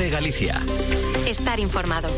COPE Galicia. Estar informado.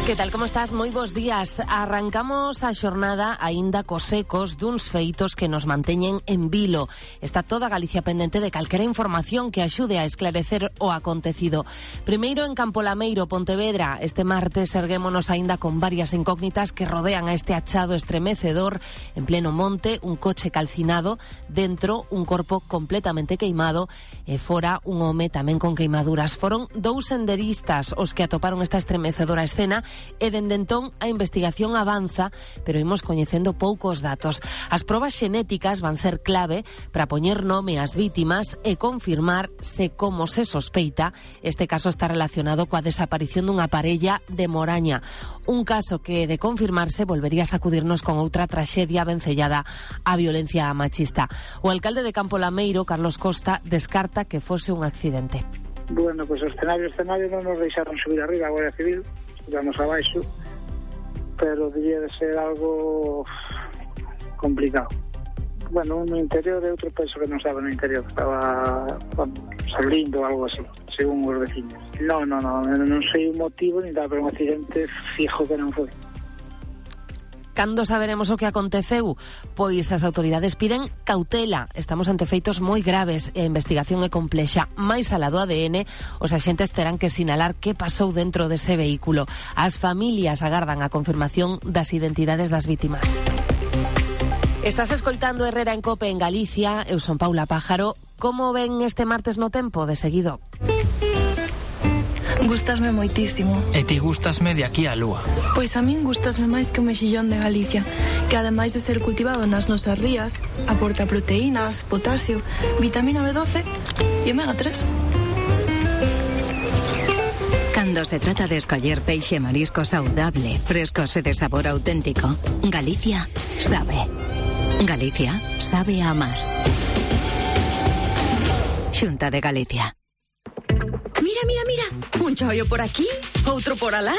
Que tal, como estás? Moi bons días. Arrancamos a xornada aínda cos ecos duns feitos que nos manteñen en vilo. Está toda Galicia pendente de calquera información que axude a esclarecer o acontecido. Primeiro en Campo Lameiro, Pontevedra. Este martes erguémonos aínda con varias incógnitas que rodean a este achado estremecedor. En pleno monte, un coche calcinado, dentro un corpo completamente queimado e fora un home tamén con queimaduras. Foron dous senderistas os que atoparon esta estremecedora escena e dende entón a investigación avanza, pero imos coñecendo poucos datos. As probas xenéticas van ser clave para poñer nome ás vítimas e confirmar se, como se sospeita, este caso está relacionado coa desaparición dunha parella de Moraña. Un caso que, de confirmarse, volvería a sacudirnos con outra traxedia vencellada á violencia machista. O alcalde de Campo Lameiro, Carlos Costa, descarta que fose un accidente. Bueno, pues o escenario non nos deixaron subir arriba a Guardia Civil, subamos abaixo, pero debía de ser algo complicado. Bueno, no interior e outro penso que non estaba no interior, estaba salindo ou algo así, según os vecinos. Non sei o motivo ni nada, pero un accidente fijo que non foi. Cando saberemos o que aconteceu? Pois as autoridades piden cautela. Estamos ante feitos moi graves e a investigación é complexa. Mais alá do ADN, os axentes terán que sinalar que pasou dentro dese vehículo. As familias agardan a confirmación das identidades das vítimas. Estás escoitando Herrera en Cope en Galicia. Eu son Paula Pájaro. Como ven este martes no tempo? De seguido. Gústasme moitísimo. E ti gústasme de aquí á lúa. Pois a min gústasme máis que o mexillón de Galicia, que ademais de ser cultivado nas nosas rías, aporta proteínas, potasio, vitamina B12 e omega 3. Cando se trata de escoller peixe e marisco saudable, frescos e de sabor auténtico, Galicia sabe. Galicia sabe a amar. Xunta de Galicia. Mira, un choio por aquí, outro por alá.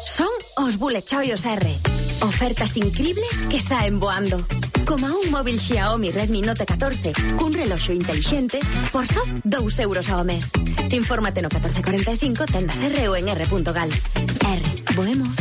Son os Bullet Choios R. Ofertas incribles que saen voando. Como un móvil Xiaomi Redmi Note 14 cun reloxo intelixente por só 2 euros ao mes. Infórmate no 1445 tendas R ou en r.gal. R, boemos.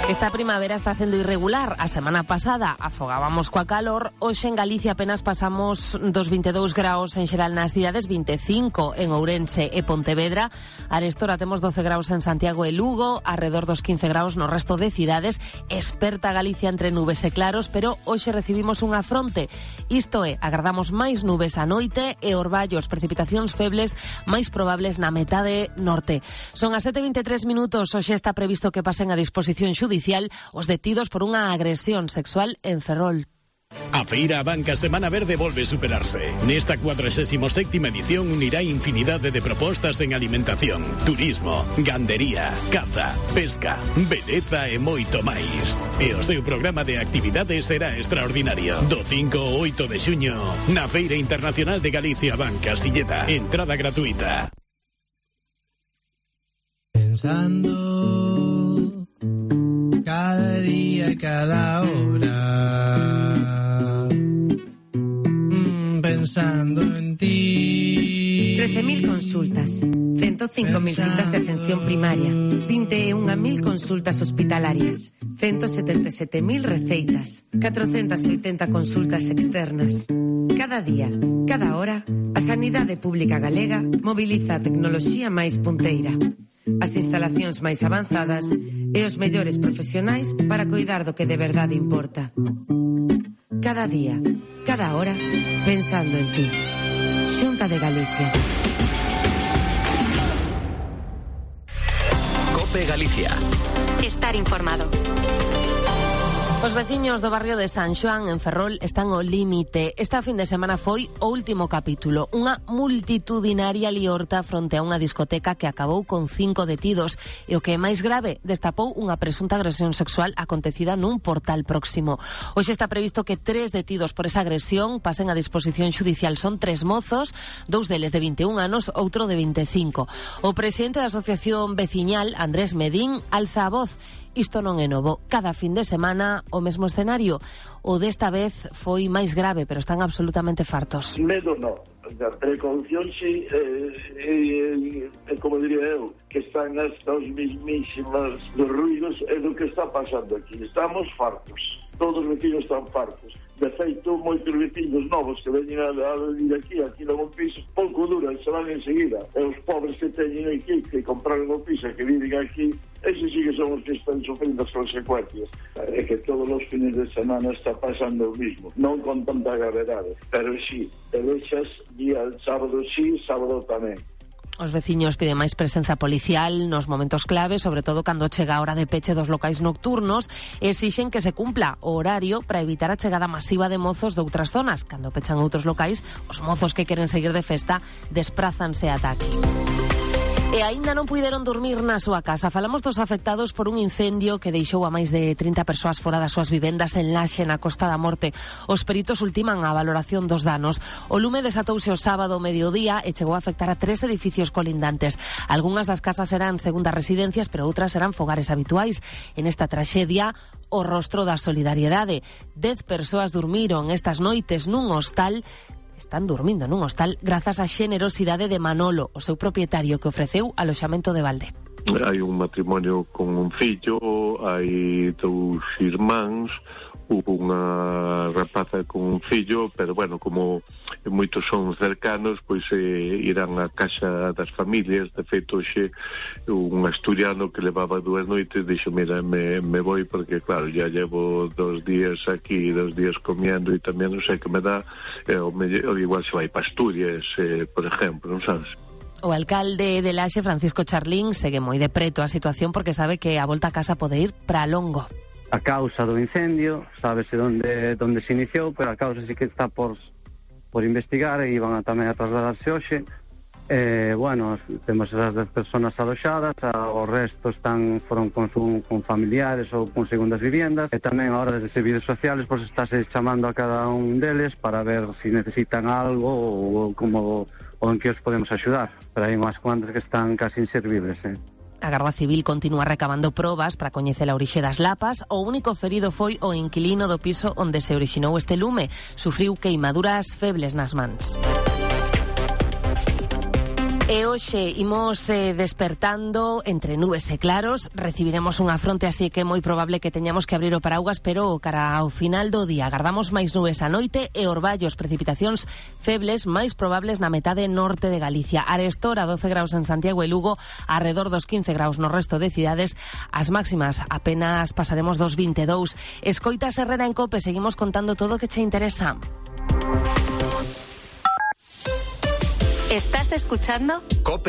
Esta primavera está sendo irregular. A semana pasada afogábamos coa calor. Hoxe en Galicia apenas pasamos dos 22 graus en xeral nas cidades, 25 en Ourense e Pontevedra. Arestora temos 12 graus en Santiago e Lugo, arredor dos 15 graus no resto de cidades. Esperta Galicia entre nubes e claros, pero hoxe recibimos unha fronte. Isto é, agardamos máis nubes a noite e orballos, precipitacións febles máis probables na metade norte. Son as 7:23 minutos. Hoxe está previsto que pasen a disposición xudicial os detidos por unha agresión sexual en Ferrol. A Feira Abanca Semana Verde volve superarse. Nesta 47ª edición unirá infinidade de propostas en alimentación, turismo, gandería, caza, pesca, beleza e moito máis. E o seu programa de actividades será extraordinario. Do 5 ao 8 de xuño, na Feira Internacional de Galicia Abanca Silleda. Entrada gratuita. Pensando cada día, cada hora, pensando en ti. 13.000 consultas, 105.000 citas de atención primaria, 21.000 consultas hospitalarias, 177.000 receitas, 480 consultas externas. Cada día, cada hora, a Sanidade Pública Galega mobiliza a tecnoloxía máis punteira, as instalacións máis avanzadas e os mellores profesionais para coidar do que de verdade importa. Cada día, cada hora, pensando en ti. Xunta de Galicia. COPE Galicia. Estar informado. Os veciños do barrio de San Xoán, en Ferrol, están ao límite. Esta fin de semana foi o último capítulo. Unha multitudinaria liorta fronte a unha discoteca que acabou con 5 detidos e o que é máis grave, destapou unha presunta agresión sexual acontecida nun portal próximo. Hoxe está previsto que 3 detidos por esa agresión pasen a disposición xudicial. Son 3 mozos, 2 deles de 21 anos, outro de 25. O presidente da Asociación Veciñal, Andrés Medín, alza a voz. Isto non é novo. Cada fin de semana o mesmo escenario. O desta vez foi máis grave, pero están absolutamente fartos. Medo non. da precaución, sí, como diría eu, que están hasta os mismísimas dos ruidos e do que está pasando aquí. Estamos fartos, todos os vecinos están fartos. De feito, moitos vecinos novos que veñen a vivir aquí non un piso, pouco duran, se van enseguida. E os pobres que teñen aquí, que compraron o piso, que viven aquí, esos sí que son os que están sufrindo as consecuencias. É que todos os fines de semana está pasando o mismo, non con tanta gravedade, pero sí, te deixas día sábado sí, sábado tamén. Os veciños piden máis presenza policial nos momentos clave, sobre todo cando chega a hora de peche dos locais nocturnos, e exixen que se cumpla o horario para evitar a chegada masiva de mozos de outras zonas. Cando pechan outros locais, os mozos que queren seguir de festa desprázanse ata aquí. E aínda non puideron dormir na súa casa. Falamos dos afectados por un incendio que deixou a máis de 30 persoas fora das súas vivendas en Laxe, na Costa da Morte. Os peritos ultiman a valoración dos danos. O lume desatouse o sábado ao mediodía e chegou a afectar a 3 edificios colindantes. Algunhas das casas eran segundas residencias, pero outras eran fogares habituais. En esta traxedia, o rostro da solidariedade. 10 persoas durmiron estas noites nun hostal. Están dormindo nun hostal grazas á xenerosidade de Manolo, o seu propietario, que ofreceu aloxamento de balde. Hai un matrimonio con un fillo, hai 2 irmáns, unha rapaza con un fillo, pero bueno, como moitos son cercanos, pois irán á casa das familias. De feito, hoxe un asturiano que levaba 2 noites dixo, mira, me voy porque claro, ya llevo 2 días aquí, 2 días comiendo e tamén non sei que me dá, o igual se vai para Asturias, por exemplo, non sabes? O alcalde de Laxe, Francisco Charlín, segue moi de preto a situación porque sabe que a volta a casa pode ir para longo. A causa do incendio, sábese onde se iniciou, pero a causa sí que está por investigar e iban tamén a trasladarse hoxe. Bueno, temos esas 10 personas aloxadas, o resto foron con familiares ou con segundas viviendas, e tamén a hora de servicios sociales pois estáse chamando a cada un deles para ver se necesitan algo ou en que os podemos axudar. Pero hai unhas cuantas que están casi inservibles, A Garda Civil continúa recabando probas para coñecer a orixe das lapas. O único ferido foi o inquilino do piso onde se orixinou este lume. Sufriu queimaduras febles nas mans. E hoxe imos despertando entre nubes e claros. Recibiremos unha fronte, así que é moi probable que teñamos que abrir o paraugas, pero cara ao final do día agardamos máis nubes a noite e orballos, precipitacións febles máis probables na metade norte de Galicia. Arestor a 12 graus en Santiago e Lugo, arredor dos 15 graus no resto de cidades. As máximas apenas pasaremos dos 22. Escoitas Herrera en Cope, seguimos contando todo o que che interesa. ¿Estás escuchando? Cope.